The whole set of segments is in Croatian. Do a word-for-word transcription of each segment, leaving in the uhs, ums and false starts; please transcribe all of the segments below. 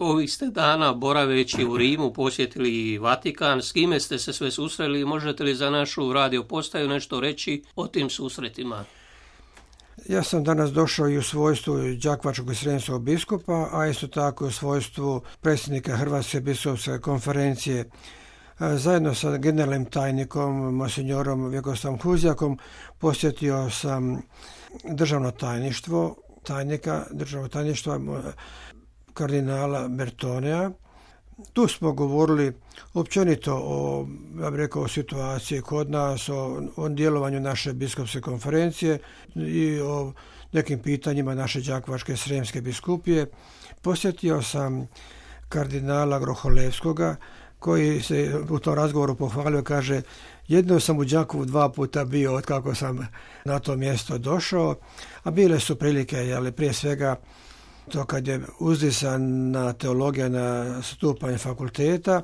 Ovih ste dana boraveći u Rimu posjetili Vatikan. S kime ste se sve susreli? Možete li za našu radio postaju nešto reći o tim susretima? Ja sam danas došao i u svojstvu đakovačkog i srijemskog biskupa, a isto tako u svojstvu predsjednika Hrvatske biskupske konferencije. Zajedno sa generalnim tajnikom, monsignorom Vjekoslavom Huzjakom, posjetio sam državno tajništvo, tajnika državnog tajništva kardinala Bertonea. Tu smo govorili općenito o, ja bih rekao, o situaciji kod nas, o, o djelovanju naše biskupske konferencije i o nekim pitanjima naše đakovačke srijemske biskupije. Posjetio sam kardinala Groholevskoga, koji se u tom razgovoru pohvalio, kaže: jedno sam u Đakovu dva puta bio od kako sam na to mjesto došao, a bile su prilike, jeli, prije svega to kad je uzdisana teologija na stupanj fakulteta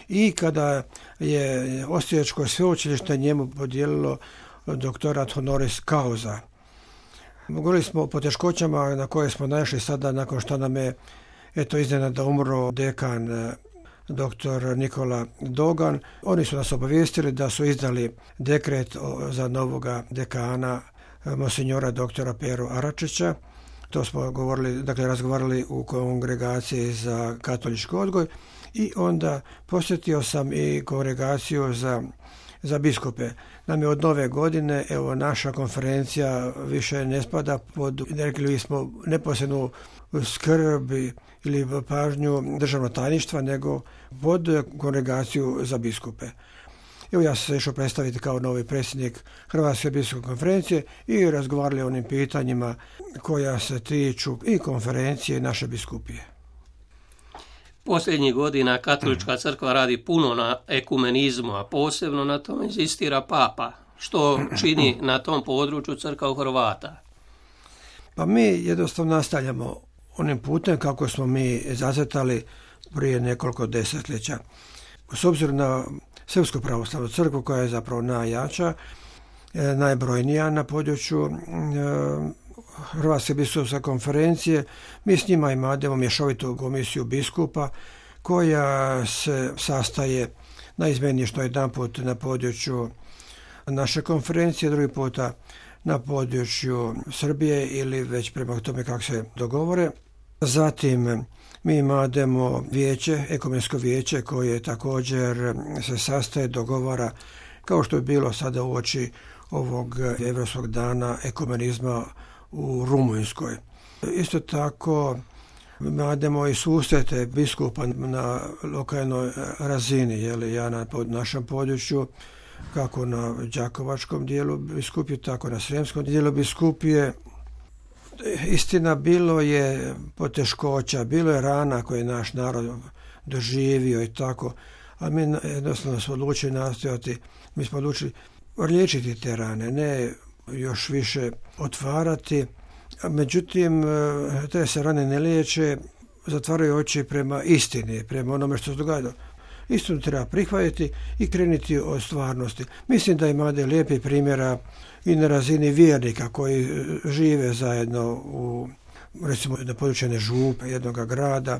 i kada je Osječko sveučilište njemu podijelilo doktorat honoris causa. Govorili smo o poteškoćama na koje smo naišli sada nakon što nam je eto iznenada umro dekan doktor Nikola Dogan. Oni su nas obavijestili da su izdali dekret za novoga dekana monsinjora doktora Peru Aračića. To smo govorili, dakle razgovarali u kongregaciji za katolički odgoj i onda posjetio sam i kongregaciju za, za biskupe. Nam je od nove godine, evo, naša konferencija više ne spada pod, rekli smo, neposrednu skrb ili pažnju državnog tajništva, nego pod kongregaciju za biskupe. Evo, ja sam se išao predstaviti kao novi predsjednik Hrvatske biskupske konferencije i razgovarali o onim pitanjima koja se tiču i konferencije i naše biskupije. Posljednjih godina katolička crkva radi puno na ekumenizmu, a posebno na tom inzistira Papa. Što čini na tom području crkva Hrvata? Pa mi jednostavno nastavljamo onim putem kako smo mi zacrtali prije nekoliko desetljeća. S obzirom na Srpsku pravoslavnu crkvu, koja je zapravo najjača, najbrojnija na području Hrvatske biskupske konferencije, mi s njima imamo mješovitu komisiju biskupa koja se sastaje naizmjenično jedan put na području naše konferencije, drugi puta na području Srbije ili već prema tome kako se dogovore. Zatim mi imamo vijeće, ekumensko vijeće, koje također se sastaje, dogovara, kao što je bilo sada uoči ovog Europskog dana ekumenizma u Rumunjskoj. Isto tako imamo i susrete biskupa na lokalnoj razini, jeli, ja na našem području, kako na đakovačkom dijelu biskupije, tako na srijemskom dijelu biskupije. Istina, bilo je poteškoća, bilo je rana koje je naš narod doživio i tako, a mi jednostavno smo odlučili nastojati, mi smo odlučili liječiti te rane, ne još više otvarati. Međutim, te se rane ne liječe, zatvaraju oči prema istini, prema onome što se događa. Istinu treba prihvatiti i krenuti od stvarnosti. Mislim da ima lijepih primjera i na razini vjernika koji žive zajedno u, recimo, na području župe jednog grada.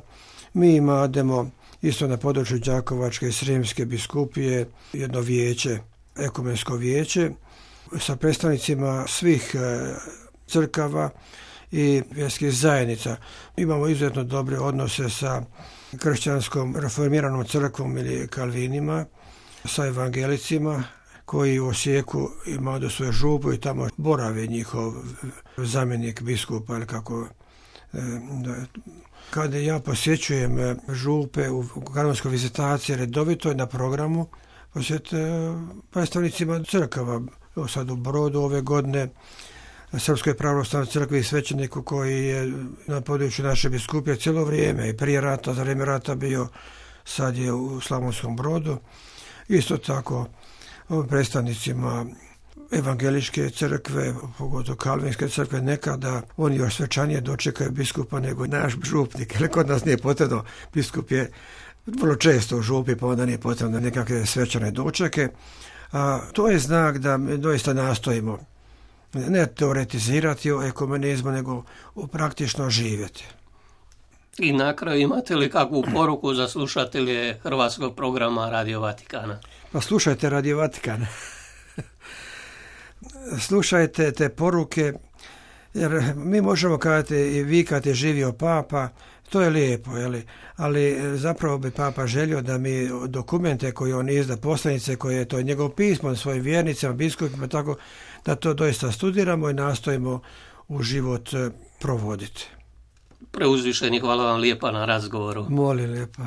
Mi imamo isto na području đakovačke i srijemske biskupije jedno vijeće, ekumensko vijeće, sa predstavnicima svih crkava i vjerskih zajednica. Imamo izuzetno dobre odnose sa kršćanskom reformiranom crkvom ili kalvinima, sa evangelicima koji u Osijeku imaju do svoje župu i tamo boravi njihov zamjenik biskupa ili kako. Kada ja posjećujem župe u kanonskoj vizitaciji redovito je na programu posjet predstavnicima crkava. Sad u Brodu ove godine Srpskoj pravoslavnoj crkvi i svećeniku koji je na području naše biskupije cijelo vrijeme i prije rata, za vrijeme rata bio, sad je u Slavonskom Brodu. Isto tako predstavnicima evangeličke crkve, pogotovo kalvinske crkve, nekada oni još svečanije dočekaju biskupa nego naš župnik. Jer kod nas nije potrebno, biskup je vrlo često u župi, pa onda nije potrebno nekakve svečane dočeke. A to je znak da doista nastojimo ne teoretizirati o ekumenizmu, nego praktično živjeti. I na kraju, imate li kakvu poruku za slušatelje hrvatskog programa Radio Vatikana? Pa slušajte Radio Vatikana. Slušajte te poruke, jer mi možemo kazati i vikati živio papa, to je lijepo, jeli? Ali zapravo bi papa želio da mi dokumente koje on izda, poslanice koje je to njegov pismo svojim vjernicama, biskupima, tako da to doista studiramo i nastojimo u život provoditi. Preuzvišeni, hvala vam lijepa na razgovoru. Molim lijepa.